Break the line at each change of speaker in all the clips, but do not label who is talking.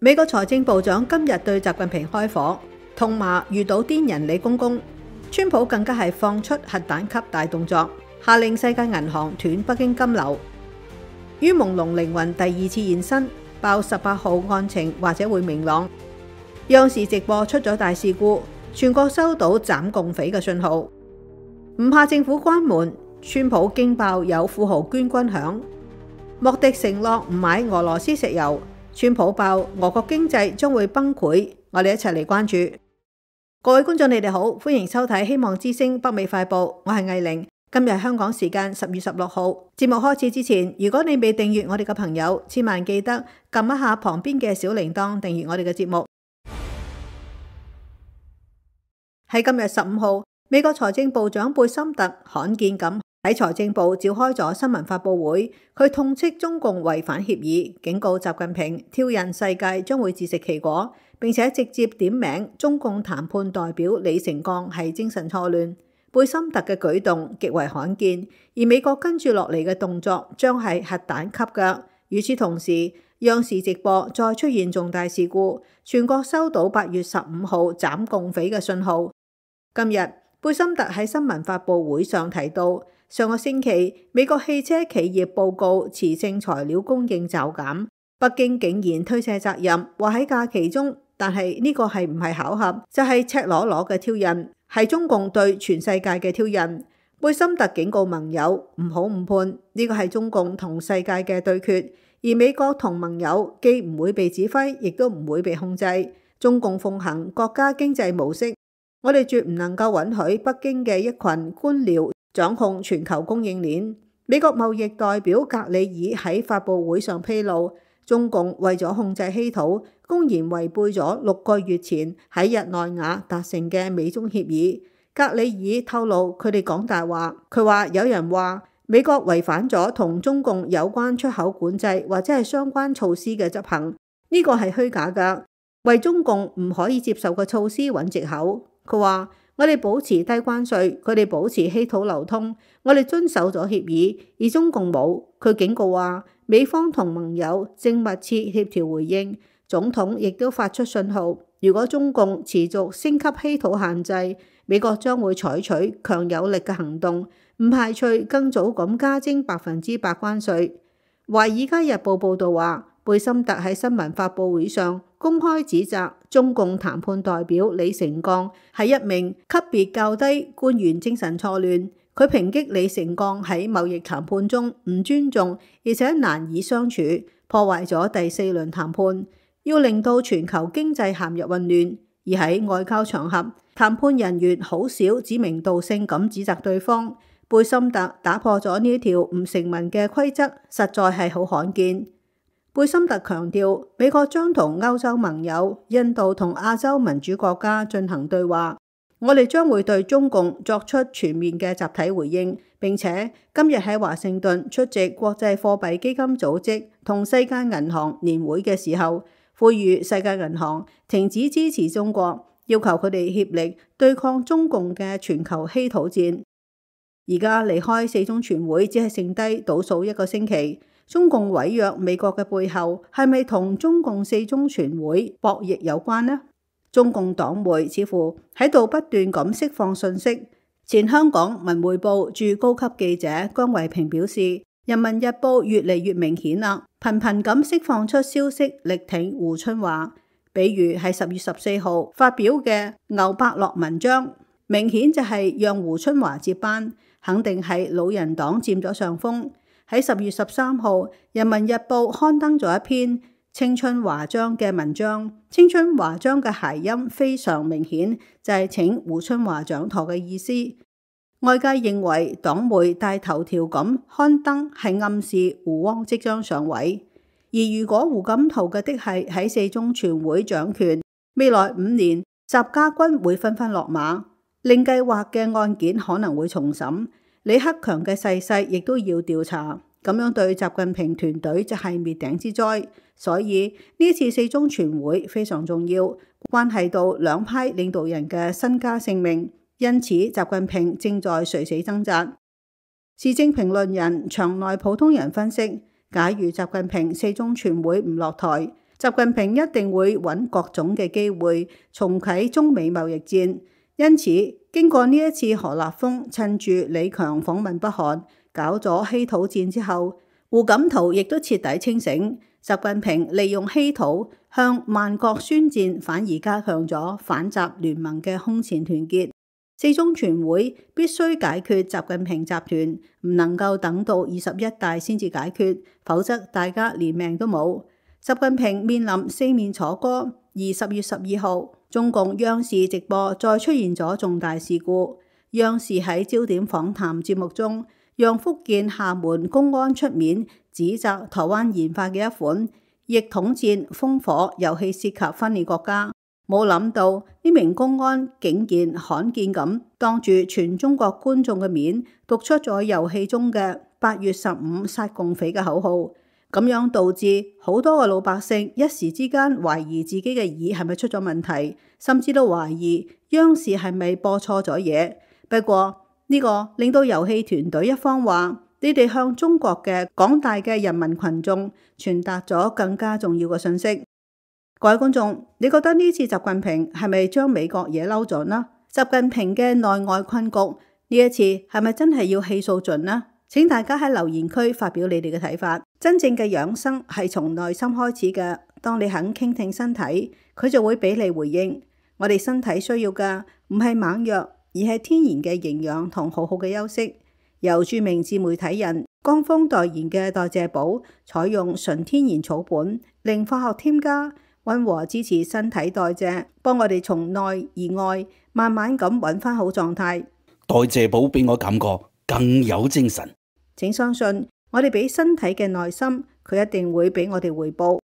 美國財政部長今日對習近平開火，痛罵遇到癲人李公公。川普更加係放出核彈級大動作，下令世界銀行斷北京金流。於朦朧靈魂第二次現身，爆18號案情或者會明朗。央視直播出咗大事故，全國收到斬共匪嘅信號。唔怕政府關門，川普驚爆有富豪捐軍餉。莫迪承諾唔買俄羅斯石油，川普爆俄國經濟將會崩潰。我哋一齊嚟關注。各位觀眾，你哋好，歡迎收睇《希望之聲北美快報》，我係藝玲。今日香港時間10月16號，節目開始之前，如果你未訂閱我哋嘅朋友，千萬記得撳一下旁邊嘅小鈴鐺，訂閱我哋嘅節目。喺今日15號，美國財政部長貝森特罕見咁喺財政部召開咗新聞發佈會，佢痛斥中共違反協議，警告習近平挑釁世界將會自食其果，並且直接點名中共談判代表李成鋼係精神錯亂。貝森特嘅舉動極為罕見，而美國跟住落嚟嘅動作將係核彈級嘅。與此同時，央視直播再出現重大事故，全國收到8月15號斬共匪嘅信號。今日貝森特喺新聞發佈會上提到，上個星期美國汽車企業報告磁性材料供應驟減，北京竟然推卸責任，話喺假期中，但係呢個係唔係巧合，就係赤裸裸嘅挑釁，係中共對全世界嘅挑釁。貝森特警告盟友唔好誤判，呢個係中共同世界嘅對決，而美國同盟友既唔會被指揮，亦都唔會被控制。中共奉行國家經濟模式，我哋絕唔能夠允許北京嘅一群官僚掌控全球供應鏈。美國貿易代表格里爾喺發佈會上披露，中共為咗控制稀土，公然違背咗6個月前喺日內瓦達成嘅美中協議。格里爾透露佢哋講大話，佢話有人話美國違反咗同中共有關出口管制或者係相關措施嘅執行，呢個係虛假㗎，為中共唔可以接受嘅措施揾藉口。佢話我哋保持低關稅，佢哋保持稀土流通，我哋遵守咗協議，而中共冇。佢警告話美方同盟友正密切協調回應，總統亦都發出信號，如果中共持續升級稀土限制，美國將會採取強有力嘅行動，唔排除更早咁加徵100%關稅。華爾街日報報導話，貝森特喺新聞發佈會上公開指責中共談判代表李成鋼係一名級別較低官員精神錯亂。佢抨擊李成鋼喺貿易談判中唔尊重，而且難以相處，破壞咗第4輪談判，要令到全球經濟陷入混亂。而喺外交場合，談判人員好少指名道姓咁指責對方。貝森特打破咗呢一條唔成文嘅規則，實在係好罕見。貝森特強調，美國將同歐洲盟友、印度同亞洲民主國家進行對話，我哋將會對中共作出全面嘅集體回應，並且今日喺華盛頓出席國際貨幣基金組織同世界銀行年會嘅時候，呼籲世界銀行停止支持中國，要求佢哋協力對抗中共嘅全球稀土戰。而家離開4中全會只係剩低倒數1個星期，中共毀約美國嘅背後係咪同中共4中全會博弈有關呢？中共黨媒似乎喺度不斷咁釋放信息。前香港文匯報駐高級記者姜維平表示，人民日報越嚟越明顯啦，頻頻咁釋放出消息力挺胡春華，比如係10月14號發表嘅牛伯樂文章，明顯就係讓胡春華接班，肯定係老人黨佔咗上風。喺10月13號，人民日報刊登咗一篇青春華章嘅文章，青春華章嘅諧音非常明顯，就係請胡春華掌舵嘅意思。外界認為黨媒大頭條咁刊登係暗示胡汪即將上位，而如果胡錦濤嘅的係喺4中全會掌權，未來5年習家軍會紛紛落馬，令計劃嘅案件可能會重審，李克強嘅逝世亦都要調查，咁樣對習近平團隊就係滅頂之災。所以呢次4中全會非常重要，關係到兩派領導人嘅身家性命，因此習近平正在垂死掙扎。時政評論人場內普通人分析，假如習近平4中全會唔落台，習近平一定會揾各種嘅機會重啟中美貿易戰。因此，經過呢一次何立峰趁住李強訪問北韓搞咗稀土戰之後，胡錦濤亦都徹底清醒。習近平利用稀土向萬國宣戰，反而加強咗反習聯盟嘅空前團結。四中全會必須解決習近平集團，唔能夠等到21大先至解決，否則大家連命都冇。習近平面臨四面楚歌，而10月12號，中共央視直播再出現咗重大事故。央視喺焦點訪談節目中，讓福建廈門公安出面指責台灣研發嘅一款逆統戰烽火遊戲涉及分裂國家。冇諗到呢名公安竟然罕見咁當住全中國觀眾嘅面讀出咗遊戲中嘅8月15殺共匪嘅口號，咁樣導致好多嘅老百姓一時之間懷疑自己嘅耳係咪出咗問題，甚至都懷疑央視係咪播錯咗嘢。不過呢個令到遊戲團隊一方話：你哋向中國嘅廣大嘅人民群眾傳達咗更加重要嘅信息。各位觀眾，你覺得呢次習近平係咪將美國惹嬲咗呢？習近平嘅內外困局呢一次係咪真係要氣數盡呢？請大家喺留言區發表你哋嘅睇法。真正嘅養生係從內心開始嘅，當你肯傾聽身體，佢就會俾你回應。我哋身體需要嘅唔係猛藥，而係天然嘅營養同好好嘅休息。由著名自媒體人江峰代言嘅代謝寶，採用純天然草本，零化學添加，溫和支持身體代謝，幫我哋從內而外慢慢咁揾翻好狀態。
代謝寶俾我感覺更有精神。
請相信我哋俾身體嘅耐心，佢一定會俾我哋回報。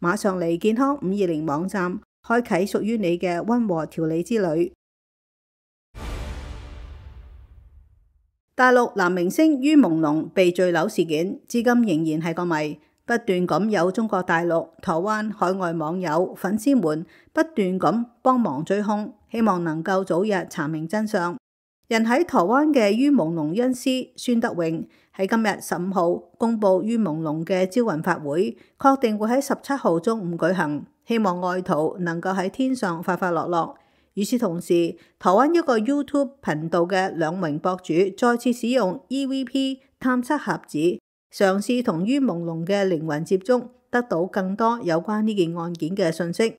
馬上嚟健康520網站，開啟屬於你嘅溫和調理之旅。大陸男明星于朦朧被墜樓事件，至今仍然係個謎，不斷咁有中國大陸、台灣、海外網友、粉絲們不斷咁幫忙追兇，希望能夠早日查明真相。人喺台灣嘅于朦朧恩師孫德榮喺今日15號公布于朦朧嘅招魂法會，確定會喺17號中午舉行，希望愛徒能夠喺天上快快樂樂。與此同時，台灣一個 YouTube 頻道嘅兩名博主再次使用 EVP 探測盒子，嘗試同于朦朧嘅靈魂接觸，得到更多有關呢件案件嘅信息。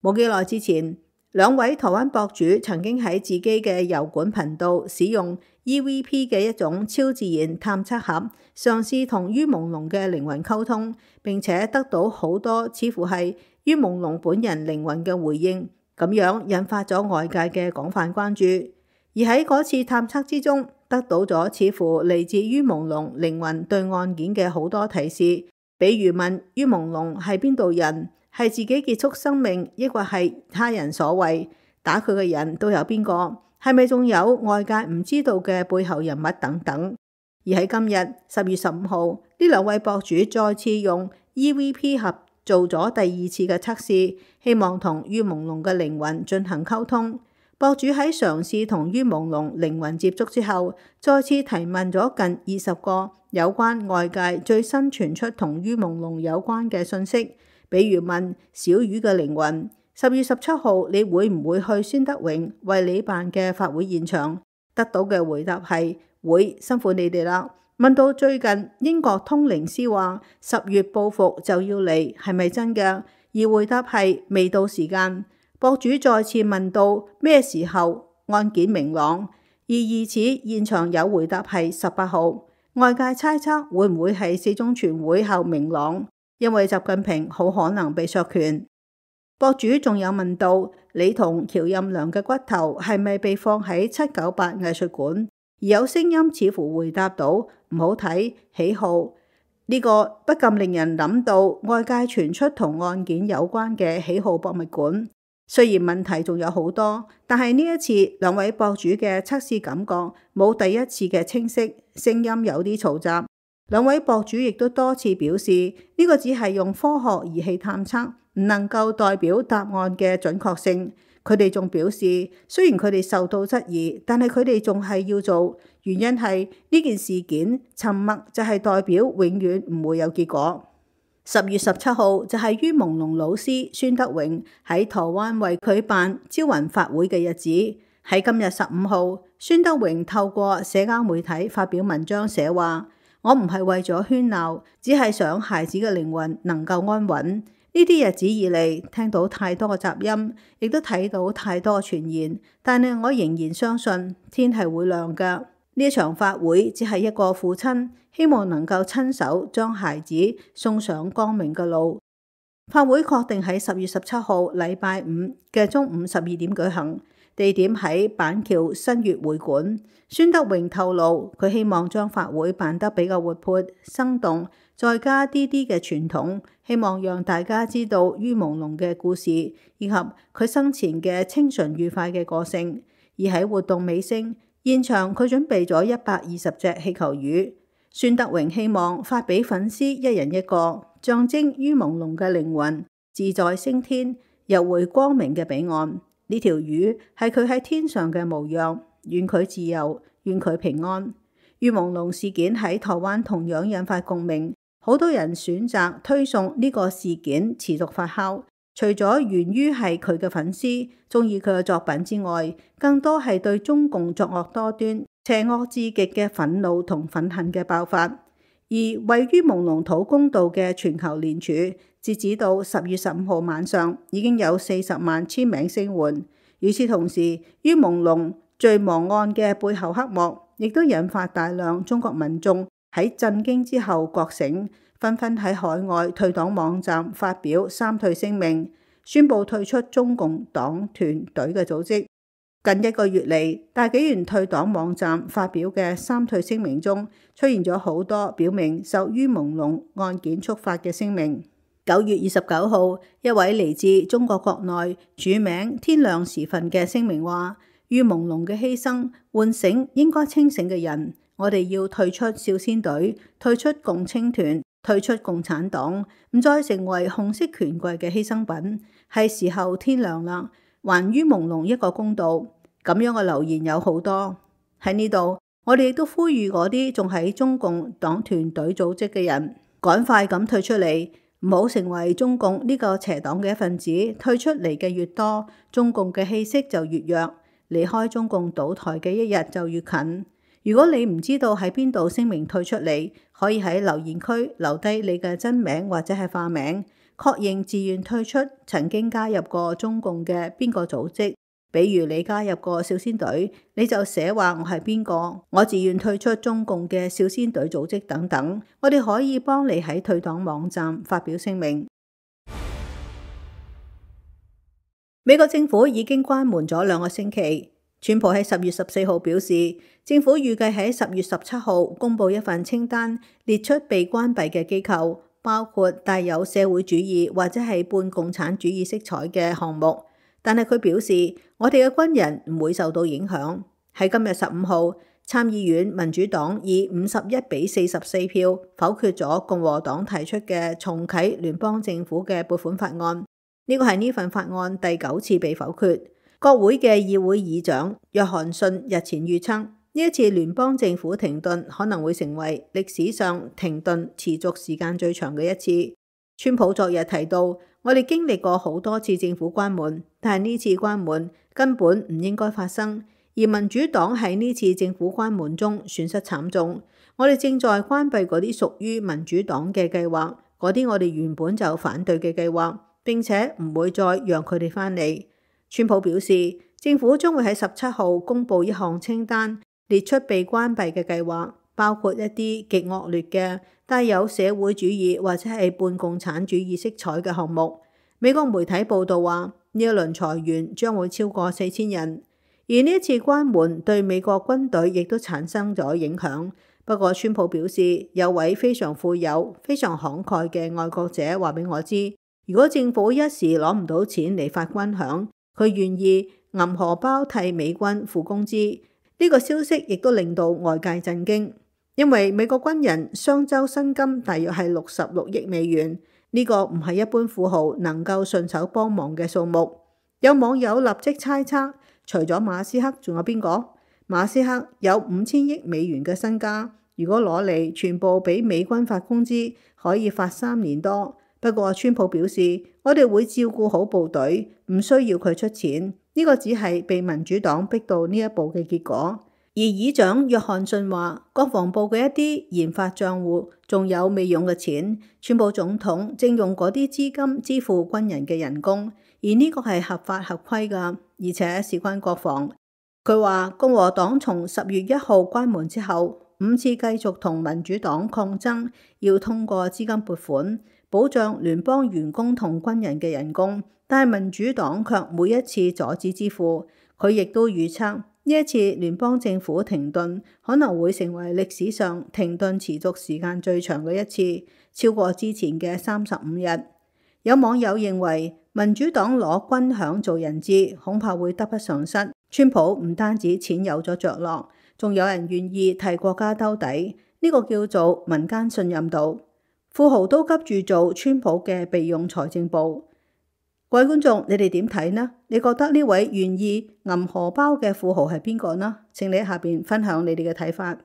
冇幾耐之前，兩位台灣博主曾經喺自己嘅油管頻道使用 EVP 嘅一種超自然探測盒，嘗試同于朦朧嘅靈魂溝通，並且得到好多似乎係于朦朧本人靈魂嘅回應。咁樣引發咗外界嘅廣泛關注，而喺嗰次探測之中，得到咗似乎嚟自于朦朧靈魂對案件嘅好多提示，比如問于朦朧係邊度人，係自己結束生命，抑或係他人所為，打佢嘅人都有邊個，係咪仲有外界唔知道嘅背後人物等等。而喺今日10月15號，呢兩位博主再次用 EVP 盒做咗第2次嘅測試，希望同于朦朧嘅靈魂進行溝通。博主喺嘗試同于朦朧靈魂接觸之後，再次提問咗近20個有關外界最新傳出同于朦朧有關嘅信息，比如問小魚嘅靈魂10月17號你會唔會去孫德榮為你辦嘅法會現場？得到嘅回答係會，辛苦你哋啦。問到最近英國通靈師話10月報復就要嚟，係咪真嘅？而回答係未到時間。博主再次問到咩時候案件明朗，而疑似現場有回答係18號。外界猜測會唔會係四中全會後明朗，因為習近平好可能被削權。博主仲有問到你同喬任梁嘅骨頭係咪被放喺798藝術館？而有聲音似乎回答到唔好睇，喜好呢個不禁令人諗到外界傳出同案件有關嘅喜好博物館。雖然問題仲有好多，但係呢一次兩位博主嘅測試感覺冇第一次嘅清晰，聲音有啲嘈雜。兩位博主亦都多次表示呢個只係用科學儀器探測，唔能夠代表答案嘅準確性。佢哋仲表示，雖然佢哋受到質疑，但係佢哋仲係要做，原因係呢件事件沉默就係代表永遠唔會有結果。10月17號就係于朦朧老師孫德榮喺台灣為佢辦招魂法會嘅日子。喺今日15號，孫德榮透過社交媒體發表文章寫話：我唔係為咗喧鬧，只係想孩子嘅靈魂能夠安穩。呢啲日子以嚟，聽到太多嘅雜音，亦都睇到太多嘅傳言，但係我仍然相信天係會亮㗎。呢一場法會只係一個父親希望能夠親手將孩子送上光明嘅路。法會確定喺10月17號禮拜五嘅中午12點舉行，地點喺板橋新月會館。孫德榮透露，佢希望將法會辦得比較活潑生動，再加啲嘅傳統，希望讓大家知道于朦朧嘅故事，以及佢生前嘅清純愉快嘅個性。而喺活動尾聲，現場佢準備咗120隻氣球魚。孫德榮希望發俾粉絲一人一個，象徵于朦朧嘅靈魂自在升天，游回光明嘅彼岸。呢條魚係佢喺天上嘅模樣，願佢自由，願佢平安。于朦朧事件喺台灣同樣引發共鳴，好多人選擇推送呢個事件持續發酵。除咗源於係佢嘅粉絲中意佢嘅作品之外，更多係對中共作惡多端、邪惡至極嘅憤怒同憤恨嘅爆發。而為于朦朧討公道嘅全球聯署，截止到10月15號晚上，已經有40萬簽名聲援。與此同時，于朦朧墜亡案嘅背後黑幕，亦都引發大量中國民眾喺震驚之後覺醒，紛紛喺海外退黨網站發表三退聲明，宣布退出中共黨團隊嘅組織。近1個月嚟，大紀元退黨網站發表嘅三退聲明中，出現咗好多表明受于朦朧案件觸發嘅聲明。9月29號，一位嚟自中國國內署名天亮時分嘅聲明話：于朦朧嘅犧牲喚醒應該清醒嘅人，我哋要退出少先隊，退出共青團，退出共產黨，唔再成為紅色權貴嘅犧牲品。係時候天亮啦，還于朦朧一個公道。咁樣嘅留言有好多喺呢度，我哋亦都呼籲嗰啲仲喺中共黨團隊組織嘅人，趕快咁退出嚟，唔好成為中共呢個邪黨嘅一份子。退出嚟嘅越多，中共嘅氣息就越弱，離開中共倒台嘅一日就越近。如果你唔知道喺邊度聲明退出嚟，可以喺留言區留低你嘅真名或者係化名，確認自願退出曾經加入過中共嘅邊個組織。比如你加入過少先隊，你就寫話我係邊個，我自願退出中共嘅少先隊組織等等，我哋可以幫你喺退黨網站發表聲明。美國政府已經關門咗2個星期。川普喺10月14號表示，政府預計喺10月17號公布一份清單，列出被關閉嘅機構，包括帶有社會主義或者係半共產主義色彩嘅項目。但係佢表示，我哋嘅軍人唔會受到影響。喺今日15號，參議院民主黨以51-44票否決咗共和黨提出嘅重啟聯邦政府嘅撥款法案。呢個係呢份法案第9次被否決。國會嘅議會議長約翰遜日前預測，呢一次聯邦政府停頓可能會成為歷史上停頓持續時間最長嘅一次。川普昨日提到，我哋經歷過好多次政府關門，但係呢次關門根本唔應該發生，而民主黨喺呢次政府關門中損失慘重。我哋正在關閉嗰啲屬於民主黨嘅計劃，嗰啲我哋原本就反對嘅計劃，並且唔會再讓佢哋返嚟。川普表示，政府將會喺17號公布一項清單，列出被關閉嘅計劃，包括一啲極惡劣嘅帶有社會主義或者係半共產主義色彩嘅項目。美國媒體報道話，呢一輪裁員將會超過4000人，而呢一次關門對美國軍隊亦都產生咗影響。不過川普表示，有位非常富有、非常慷慨嘅愛國者話俾我知，如果政府一時攞唔到錢嚟發軍餉，佢願意銀荷包替美軍付工資。呢個消息亦都令到外界震驚。因為美國軍人雙週薪金大約係66億美元，呢個唔係一般富豪能夠順手幫忙嘅數目。有網友立即猜測，除咗馬斯克，仲有邊個？馬斯克有5000億美元嘅身家，如果攞嚟全部俾美軍發工資，可以發3年多。不過川普表示，我哋會照顧好部隊，唔需要佢出錢。呢個只係被民主黨逼到呢一步嘅結果。而議長約翰遜話，國防部嘅一啲研發賬戶仲有未用嘅錢，川普總統正用嗰啲資金支付軍人嘅人工，而呢個係合法合規㗎，而且事關國防。佢話共和黨從10月1號關門之後，5次繼續同民主黨抗爭，要通過資金撥款保障聯邦員工同軍人嘅人工，但係民主黨卻每一次阻止支付。佢亦都預測呢一次聯邦政府停頓可能會成為歷史上停頓持續時間最長嘅一次，超過之前嘅35日。有網友認為民主黨攞軍餉做人質，恐怕會得不償失。川普唔單止錢有咗着落，仲有人願意替國家兜底，呢個叫做民間信任度。富豪都急住做川普嘅備用財政部。各位觀眾，你哋點睇呢？你覺得呢位願意揞荷包嘅富豪係邊個呢？請你喺下邊分享你哋嘅睇法。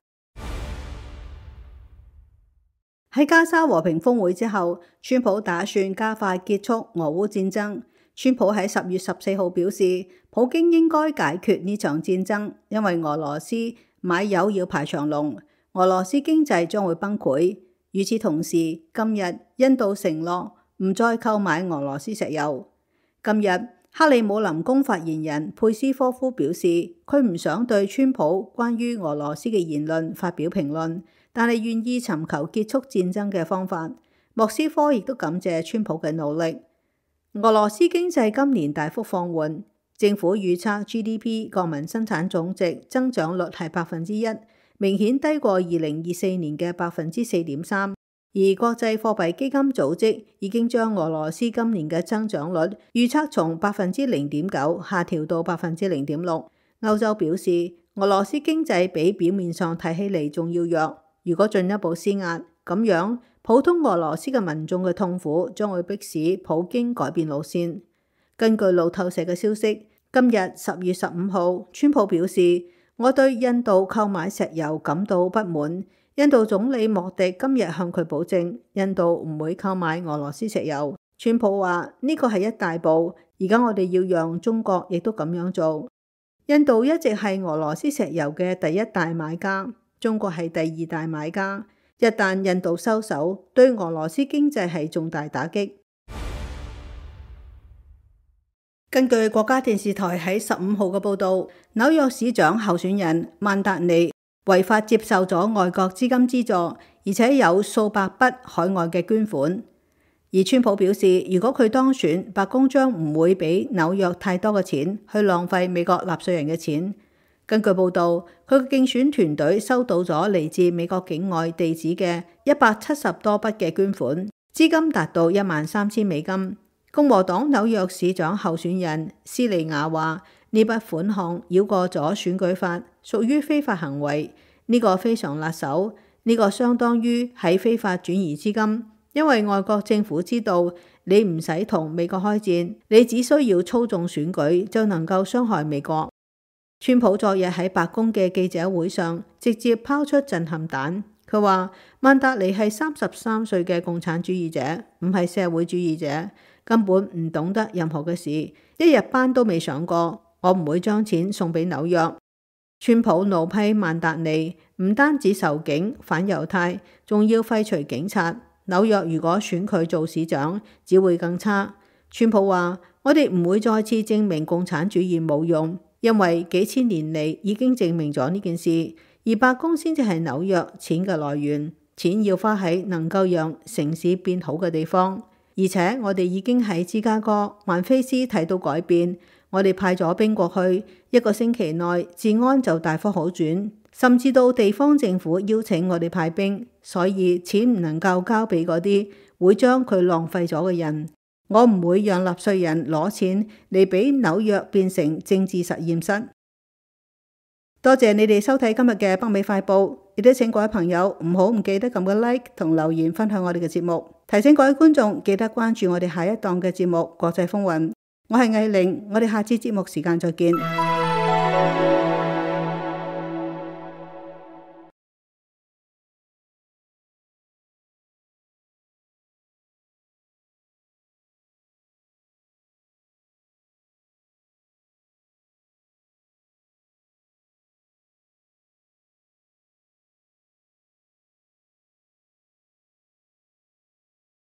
喺加沙和平峰會之後，川普打算加快結束俄烏戰爭。川普喺10月14號表示，普京應該解決呢場戰爭，因為俄羅斯買油要排長龍，俄羅斯經濟將會崩潰。與此同時，今日印度承諾唔再購買俄羅斯石油。今日克里姆林宮發言人佩斯科夫表示，佢唔想對川普關於俄羅斯嘅言論發表評論，但係願意尋求結束戰爭嘅方法。莫斯科亦都感謝川普嘅努力。俄羅斯經濟今年大幅放緩，政府預測 GDP 國民生產總值增長率係1%，明顯低過2024年嘅4.3%。而國際貨幣基金組織已經將俄羅斯今年嘅增長率預測從0.9%下調到0.6%。歐洲表示，俄羅斯經濟比表面上睇起嚟仲要弱，如果進一步施壓，咁樣普通俄羅斯嘅民眾嘅痛苦將會迫使普京改變路線。根據路透社嘅消息，今日10月15號，川普表示，我對印度購買石油感到不滿。印度總理莫迪今日向佢保證，印度唔會購買俄羅斯石油。川普話呢個係一大步，而家我哋要讓中國亦都咁樣做。印度一直係俄羅斯石油嘅第一大買家，中國係第2大買家。一旦印度收手，對俄羅斯經濟係重大打擊。根據國家電視台喺15號嘅報導，紐約市長候選人曼達尼違法接受咗外國資金資助，而且有數百筆海外嘅捐款。而川普表示，如果佢當選，白宮將唔會俾紐約太多嘅錢去浪費美國納稅人嘅錢。根據報導，佢嘅競選團隊收到咗嚟自美國境外地址嘅170多筆嘅捐款，資金達到13000美金。共和黨紐約市長候選人斯利亞話：呢筆款項繞過咗選舉法，屬於非法行為。呢個非常辣手，呢個相當於喺非法轉移資金，因為外國政府知道你唔使同美國開戰，你只需要操縱選舉就能夠傷害美國。川普昨日喺白宮嘅記者會上直接拋出震撼彈，佢話曼達尼係33歲嘅共產主義者，唔係社會主義者，根本唔懂得任何嘅事，一日班都未上過。我唔會將錢送俾紐約。川普怒批曼達尼唔單止仇警反猶太，仲要廢除警察。紐約如果選佢做市長，只會更差。川普話：我哋唔會再次證明共產主義冇用，因為幾千年嚟已經證明咗呢件事。而白宮先至係紐約錢嘅來源，錢要花喺能夠讓城市變好嘅地方。而且我哋已經喺芝加哥、曼菲斯睇到改變。我哋派咗兵過去，1個星期內治安就大幅好轉，甚至到地方政府邀請我哋派兵，所以錢唔能夠交俾嗰啲會將佢浪費咗嘅人。我唔會讓納稅人攞錢嚟俾紐約變成政治實驗室。多謝你哋收睇今日嘅北美快報，亦都請各位朋友唔記得撳個 like 同留言分享我哋嘅節目。提醒各位觀眾記得關注我哋下一檔嘅節目《國際風雲》。我係藝玲，我哋下次節目時間再見。